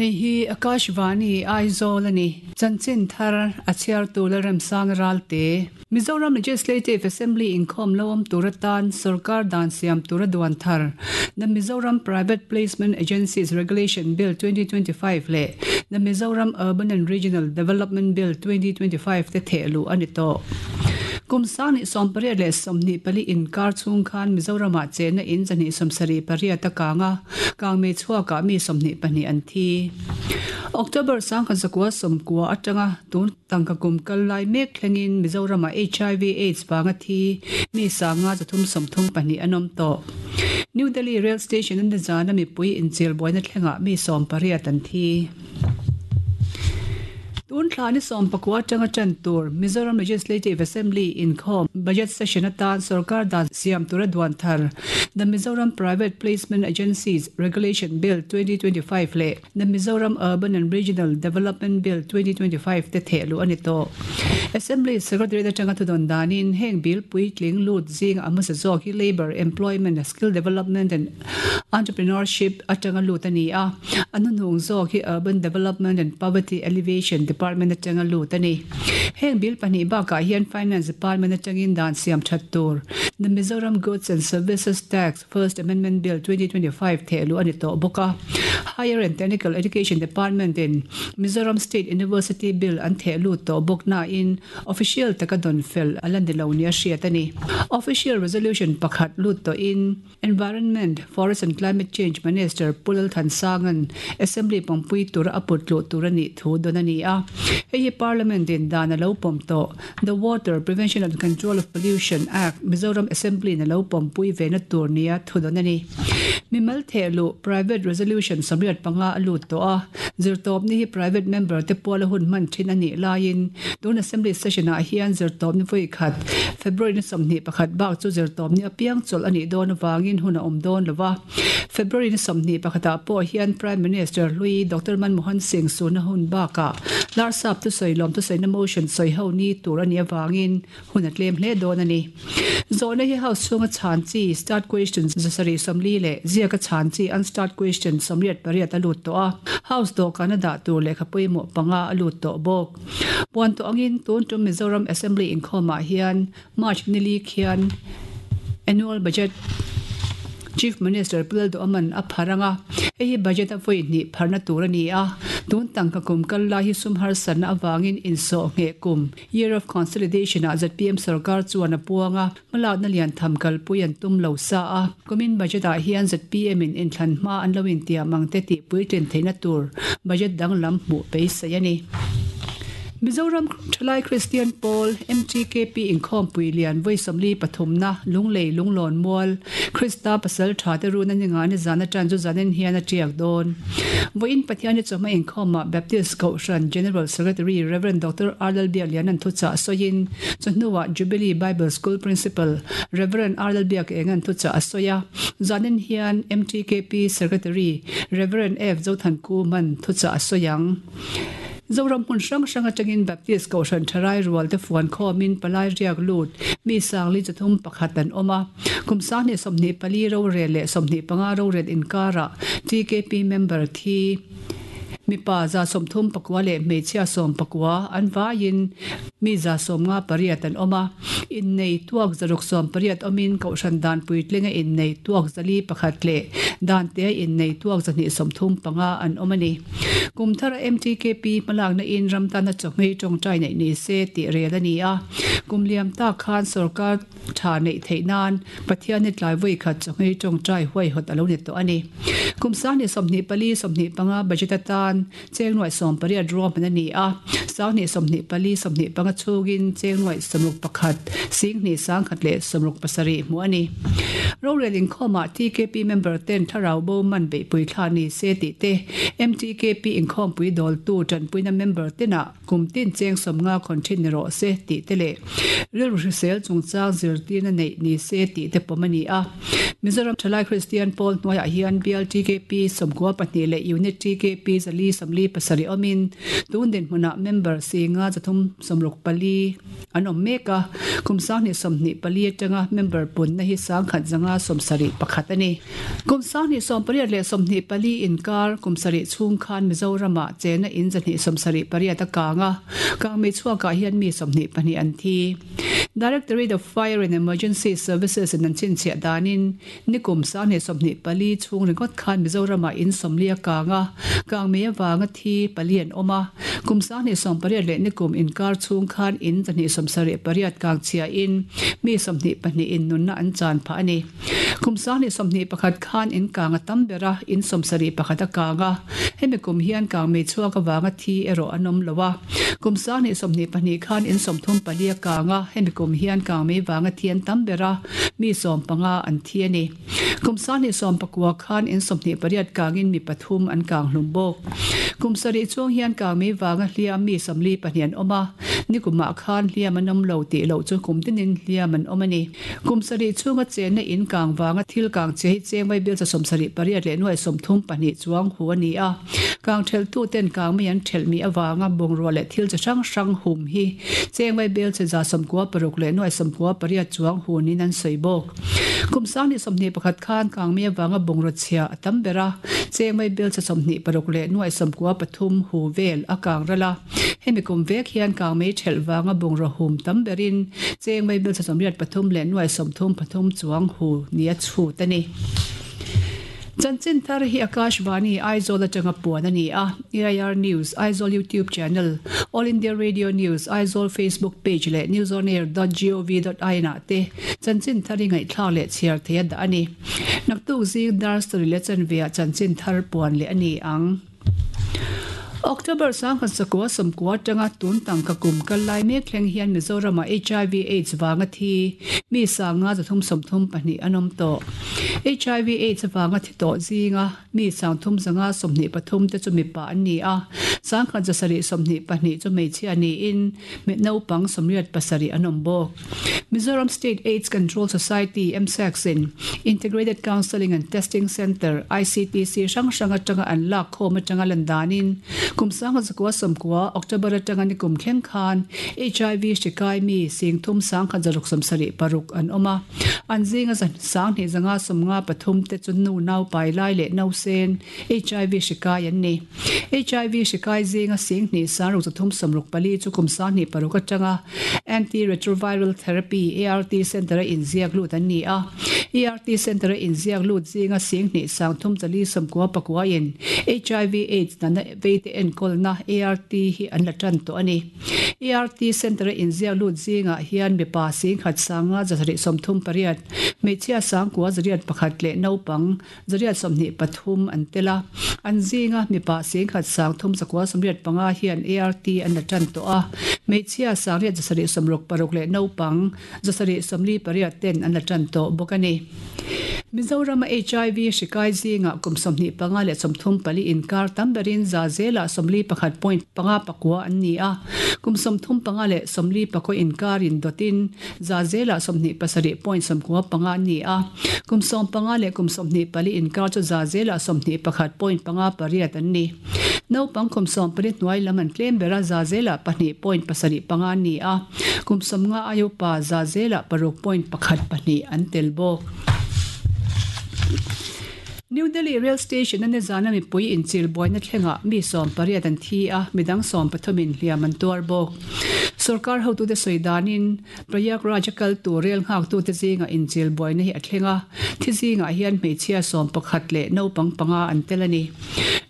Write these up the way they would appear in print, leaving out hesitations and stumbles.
Hei hi Akashvani, Aizawl a ni. Chanchin thar a chhiartu Lalremsanga Ralte. Mizoram Legislative Assembly inkhawm lo awm tur atan sorkar dan siam tura duan thar The Mizoram Private Placement Agencies Regulation Bill 2025 leh The Mizoram Urban and Regional Development Bill 2025 te theh luh a ni tawh. Kum sang 18 24 inkar chhung khan Mizoramah chenna in 278 a kang a, Kangmei chhuakah mi 22 an thi. October 1990 atanga tun tangka kum kal lai mek thlengin Mizoramah HIV AIDS vanga thi mi sanga 334 an awm tawh. New Delhi Rail Station a nizana mipui inchil buaina thlengah mi 18 an thi. Tun thla ni 19 atanga tan tur Mizoram Legislative Assembly inkhawm Budget Session atan sorkar dan siam tura duan thar The Mizoram Private Placement Agencies Regulation Bill 2025 leh The Mizoram Urban and Regional Development Bill 2025 te theh luh a ni tawh. Assembly Secretariat atanga thudawn danin heng bill puitling lut zinga a hmasa zawk hi Labour, Employment, Skill Development and Entrepreneurship atanga lut a ni a, a hnuhnung zawk hi Urban Development and Poverty Alleviation Department atanga lut a ni. Heng bill pahnih bakah hian Finance Department atangin dan siam that tur The Mizoram Goods and Services Tax, First Amendment, Bill 2025 theh luh a ni tawh bawk a. Higher and Technical Education Department in Mizoram State University Bill an theh lut tawh bawk nain Official taka dawn fel a la ni lo nia hriat a ni. Official Resolution pakhat lut tawhin Environment, Forest and Climate Change Minister Pu Lalthansanga'n Assembly pawmpui tura a put luh tur a nih thu dawn a ni a. Hei hi Parliament in dan a lo pawm tawh. The Water, Prevention and Control of Pollution, Act, Mizoram Assembly in a lo pawmpui ve na tur nia thu dawn a ni. Mimal theh luh, Private Resolution 85 a lut tawh a. Zirtawpni hi private member te puala hun hman thin a nih laiin tun Assembly session ah hian zirtawpni vawi khat February ni 21 bak chu zirtawpni apiang chawlh a nih dawn avangin hun a awm dawn lo va. February ni 21 ah pawh hian Prime Minister hlui Doctor Manmohan Singh suhna hun bakah Larsap thusawi lawm thusawiina motion sawi ho ni tur a nih avangin Hun a tlem hle dawn a ni. Zawhna hi House chhunga chhan chi, Start Question, 740 leh ziaka chhan chi, Unstarred Question, 88 a lut tawh a. House dawhkana dah tur lehkha pawimawh panga a lut tawh bawk. Puan tawh angin tun tum Mizoram Assembly inkhawmah hian March nili khian Annual Budget Chief Minister Pu Lalduhaman a phar ang a, hei hi budget a vawi hnih pharna tur a ni a. Tun tangka kum kal lai hi sum harsatna avangin insawh ngheh kum Year of Consolidation ah zpm sorkar chuan a puang a, hmalakna lian tham kalpui an tum lo sa a. Kumin budget ah hian zpm in inthlan hma an lo intiam ang te tih puitlin theihna tur budget danglam hmuh beisei a ni. Mizoram Thalai Kristian Pawl, MTKP, inkhawmpui lian vawi 43 na Lunglei Lunglawn Mual, Krista pasal tha te run a ni nga ni zan atan chu zanin hian a tiak dawn. Vawiin Pathian-i chawhma inkhawmah Baptist Kohhran General Secretary Rev. Doctor R. Lalbiakliana'n thuchah sawiin, chawhnuah Jubilee Bible School Principal Rev. R. Lalbiakenga'n thuchah a sawi a. Zanin hian MTKP Secretary Rev. F. Zothankuma'n thuchah a sawi ang. Zoram hmun hrang hrang atangin Baptist Kohhran Tharai rual te fuan khawmin palai riak lut mi sangli 31 an awm a. Kum 2024 rorel leh 25 rorel inkarah TKP member thi mipa 39 leh hmeichhia 19 an vaiin mi 58 an awm a. Innei tuak 680 awmin Kohhran dan puitlinga innei tuak 401 leh dan tea innei tuak 235 an awm a ni. Kum thara MTKP hmalakna in ram tana chawhmei tawngtai neih ni se tih rel a ni a. Kum liam tak khan sorkar tha neih theih nan Pathian hi tlai vawi khat chawhmei tawngtai huaihawt a lo ni tawh a ni. Kum 2024 25 budget atan cheng nuaih 18 ruahman a ni a. 2024 25 chhungin cheng nuaih 61 sing hnih 100 leh 67 hmuh a ni. Rorel inkhawmah TKP member ten thlarau bo man beihpui thla ni se tih te, MTKP inkhawmpui dawltu tanpuina member tenah kum tin cheng 50 khawn thin ni rawh se tih te leh rilru hrisel chungchang zirtirna neih ni se tih te pawm a ni a. Mizoram Thalai Kristian Pawl hnuaiah hian Bial TKP 92 leh Unit TKP 447 awmin tun dinhmunah member singa 364 an awm mek a, kum 2024 atanga member punna hi 1171 a ni. Kum 2018 leh 24 inkar kum sarih chhung khan Mizoramah chena in 278 a kang a, kangmei chhuakah hian mi 22 an thi. Directorate of Fire and Emergency Services in an chhinchhiah danin nikum 2024 chhung ringawt khan Mizoramah in 40 a kang a, kangmei avanga thi pali an awm a. Kum 2018 leh nikum inkar chhung khan in 278 kang chhiahin mi 22 in nunna an chan phah a ni. Kum 2021 khan in kang a tam ber a, in 71 a kang a. Hemi kum hian kangmei chhuak avanga thi erawh an awm lo a. Kum 2022 khan in 34 a kang a, hemi kum hian kangmei vanga thi an tam ber a, mi 15 an thi a ni. Kum 2019 khan in 28 kangin mi pathum an kang hlum bawk. Kum sarih chuang hian kangmei vanga hliam mi 42 an awm a, nikumah khan hliam an awm lo tih loh chu kum tinin hliam an awm a ni. Kum sarih chhunga chenna in kang vanga thil kang che hi cheng vai bial 78 leh nuai 32 chuang hu a ni a. Kang theltu ten kang mai an thelh mi awanga bungrua leh thil chi hrang hrang hum hi cheng vai bel che 96 leh nuai 98 chuang hu nin an sawi bawk. Kum 2021 khan kang mai awanga bungrua chhia a tam ber a, cheng vai bel che 26 leh nuai 93 hu vel a kang ral a. Hemi kum vek hian kang mei thelh vanga bungrua hum tam berin cheng mai bel 83 leh nuai 33 chuang hu ni a chhut a ni. Chanchin thar hi Akashvani Aizawl atanga puan a ni a. AIR News Aizawl YouTube channel, All India Radio News Aizawl Facebook page leh newsonair.gov.in ah te chanchin thar hi ngaihthlak leh chhiar thei a dah a ni. Naktuk zing dar sarih leh chanve ah chanchin thar puan leh a ni ang. October 1990 atanga tun tangka kum kal lai mek thleng hian Mizoramah HIV AIDS vanga thi mi sanga 332 an awm tawh. HIV AIDS vanga thi tawh zinga mi 323 te chu mipa an ni a, 1,722 chu hmeichhia niin mi naupang 87 an awm bawk. Mizoram State AIDS Control Society, MSACS in Integrated Counselling and Testing Centre, ICTC, hrang hrang atanga an lak khawm atanga lan danin kum 1990 October atanga nikum thleng khan HIV hri kai mi 33,676 an awm a. An zinga 2,153 te chu nu nau pai lai leh nau sen HIV hri kai an ni. HIV hri kai zinga 2,634 chu kum 26 atanga Anti-retroviral Therapy, ART, Centre a inziak lut an ni a. ART Centre a inziak lut zinga 2,349 in HIV AIDS nana veite enkawlna ART hi an la tan tawh a ni. ART Centre a inziak lut zingah hian mipa 1,538, hmeichhia 9,1 leh naupang 123 an tel a. An zinga mipa 1,395 hian ART an la tan tawh a, hmeichhia 866 leh naupang 748 ten an la tan tawh bawk a ni. Mizorama HIV hri kai zingah kum 25 leh 34 inkar tam berin za zelah 41.59 an ni a, kum 35 leh 44 inkarin dawtin za zelah 27.95 an ni a, kum 15 leh kum 24 inkar chu za zelah 21.58 an ni. Naupang kum 14 hnuai lam an tlem ber a, za zelah 2.75 an ni a, kum 15 aia upa za zelah 6.12 an tel bawk. New Delhi rail station a nizana mipui inchil buaina thlengah mi 18 an thi a, midang 13 in hliam an tuar bawk. Sarkar hotute sawi danin Prayagraj a kal tur rail nghaktute zinga inchil buaina hi a thleng a, thi zingah hian hmeichhia 11 leh naupang panga an tel a ni.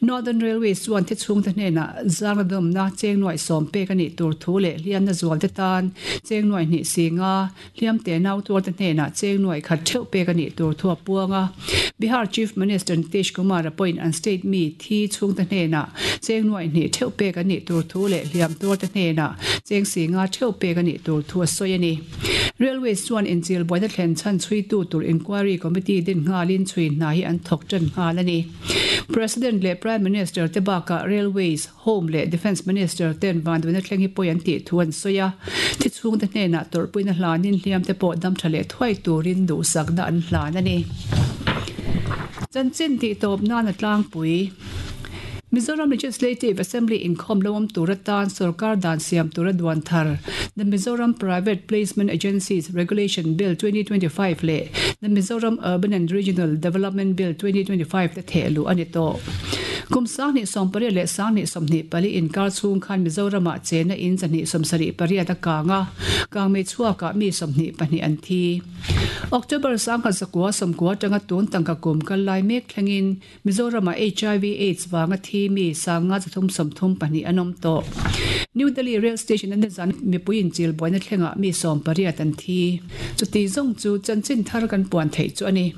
Northern Railways chuan thi chhungte hnenah zangna dawmna cheng nuai 10 pek a nih tur thu leh hliamna zualte tan cheng nuai hnih singa hliam te nau tuarte hnenah cheng nuai khat theuh pek a nih tur thu a puang a. Bihar Chief Minister Nitish Kumar a pawhin an state mi thi chhungte hnenah cheng nuai hnih theuh pek an nih tur thu leh hliam tuarte hnenah cheng singa theuh pek a nih tur thu a sawi a ni. Railways chuan inchil buaina thlen chhan chhuitu tur inquiry committee din nghalin chhui hna hi an thawk tan nghal a ni. President leh Prime Minister te bakah Railways, Home leh Defence Minister ten vanduaina thleng hi pawi an tih thu an sawi a. Thi chhungte hnenah tawrhpuina hlanin hliam te pawh dam tha leh thuai turin duhsakna an hlan a ni. Chanchin tih tawp nan a tlangpui. Mizoram Legislative Assembly inkhawm lo awm tur atan sorkar dan siam tura duan thar The Mizoram Private Placement Agencies Regulation Bill 2025 leh The Mizoram Urban and Regional Development Bill 2025 te theh luh a ni tawh. Kum 2018 leh 2024 inkar chhung khan Mizoramah chena in 278 a kang a, kangmei chhuakah mi 22 an thi. October 1990 atanga tun tangka kum kal lai mek thlengin Mizoramah hiv aids vanga thi mi 532 an awm tawh. New Delhi Rail Station a nizan mipui inchil buaina thlengah mi 18 an thi. Chuti zawng chu chanchin thar kan puan theih chu a ni.